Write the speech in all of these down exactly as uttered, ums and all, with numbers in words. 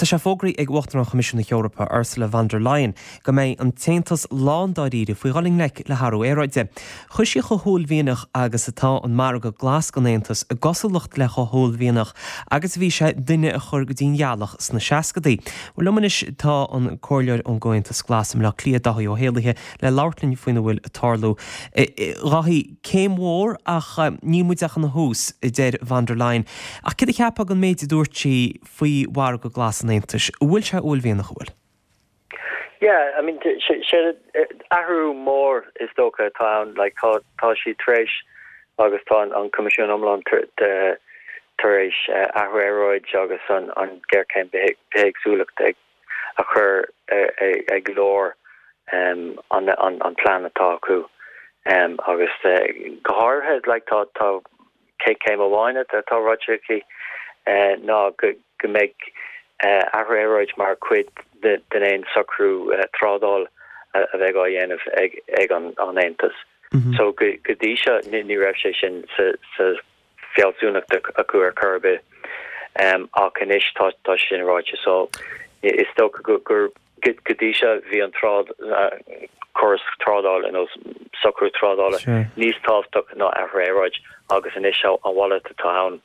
Bhuel tá sé fógraithe ag Uachtarán Choimisiún na hEorpa Ursula von der Leyen go mbeidh an tAontas lándáiríre faoi dhul i ngleic le hathrú aeráide. Chuir sí chomh huaillmhianach agus atá an margadh glas don Aontas i gcosúlacht le chomh huaillmhianach agus bhí sé duine a chur go dtí an ghealach sna seascadaí. Well liom anois tá an comhairleoir ón gComhaontas Glas i mBleá Cliath Dáithí Ó hÉallaithe le labhairt linn faoina bhfuil ag tarlú. Dháithí céim mhór ach níl muid ach ina thús a deir von der Leyen. Ach céard a cheapfá den méid a dúirt sí faoi mhargadh glas an Aontais, bhfuil sé uaillmhianach bhfuil? Yeah, I mean sé athrú mór is dócha atá ann like tá tá sí tar éis agus tá an Coimisiún iomlán tar éis athrú aeráide agus an an géarchéim bithéagsúlachta ag a chur ag lár um, an, an, an plean atá acu um, agus uh, go háirithe like, tá tá céim amháin atá ráite aici uh, ná go, go mbeidh uh, athrú aeráide mar chuid den aon socrú uh, trádála a bheidh á dhéanamh ag, ag an, an Aontas. Mm -hmm. So go, go dtí seo ní, ní raibh sé sin sa, sa fealsúnacht acu ar chor ar bith um, ach anois tá tá sin ráite so is dócha go gur go dtí seo bhí an trád uh, córas trádála nó socrú trádála sure. níos tábhachtaí ná athrú aeráide agus anois an mhalairt atá ann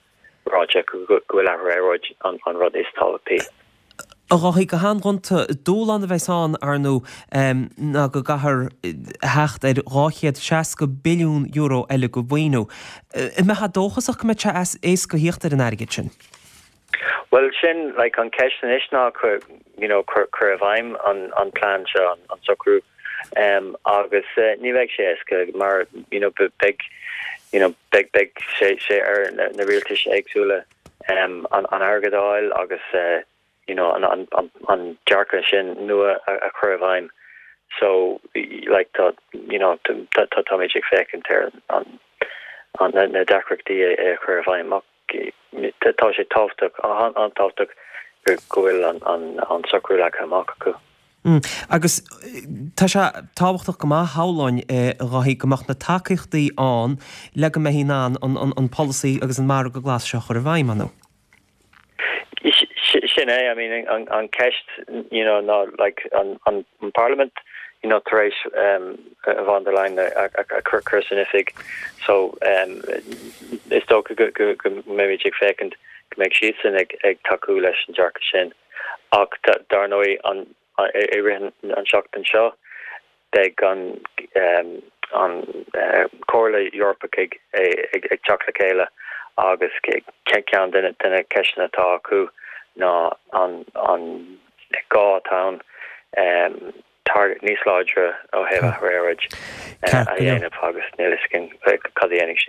ráite go bhfuil athrú aeráide an, an rud is tábhachtaí. A Dháithí go han-ghonta dúshlán a bheas ann ar ndóigh ná go gcaithfear theacht ar dhá chéad seasca billiún euro eile de mhaoiniú. An mbeifeá dóchasach go mbeidh sé éasca theacht ar an airgead sin. Well sin like an ceist anois ná you know cur cur i bhfeidhm an an plean seo an, an socrú um, agus uh, ní bheidh sé éasca mar you know beidh you know beidh beidh sé sé ar na, na rialtais éagsúla um, an an airgead a fháil agus uh, you know an an an, an dearcadh sin nua a, a chur i bhfeidhm so like tá you know tá tá tá ag féachaint ar an an na, na deacrachtaí a chur i bhfeidhm tá sé tábhachtach an-tábhachtach go bhfuil an an an socrú leagtha amach acu. Mm. Agus tá sé tábhachtach go maith shamhlóinn Dháithí go mbeadh na tacaíochtaí ann le go mbeifí in ann an, an, an polasaí agus an margadh glas seo chur i bhfeidhm ann. Sin é I mean an, an ceist you know ná like an, an, an Parliament you know tar éis um, von der Leyen a, a, a chur chur san oifig so um, is dócha go go go mbeimid ag féachaint go mbeidh siadsan ag ag tacú leis an dearcadh sin ach dar ndóigh an i rith an seachtain seo beidh an um, an uh, Comhairle Eorpach ag ag ag teacht le chéile agus ceann de na ceisteanna atá acu ná an an gá atá um, target níos láidre ó thaobh aeráide a dhéanamh agus níl a fhios againn cad a dhéanfaidh siad.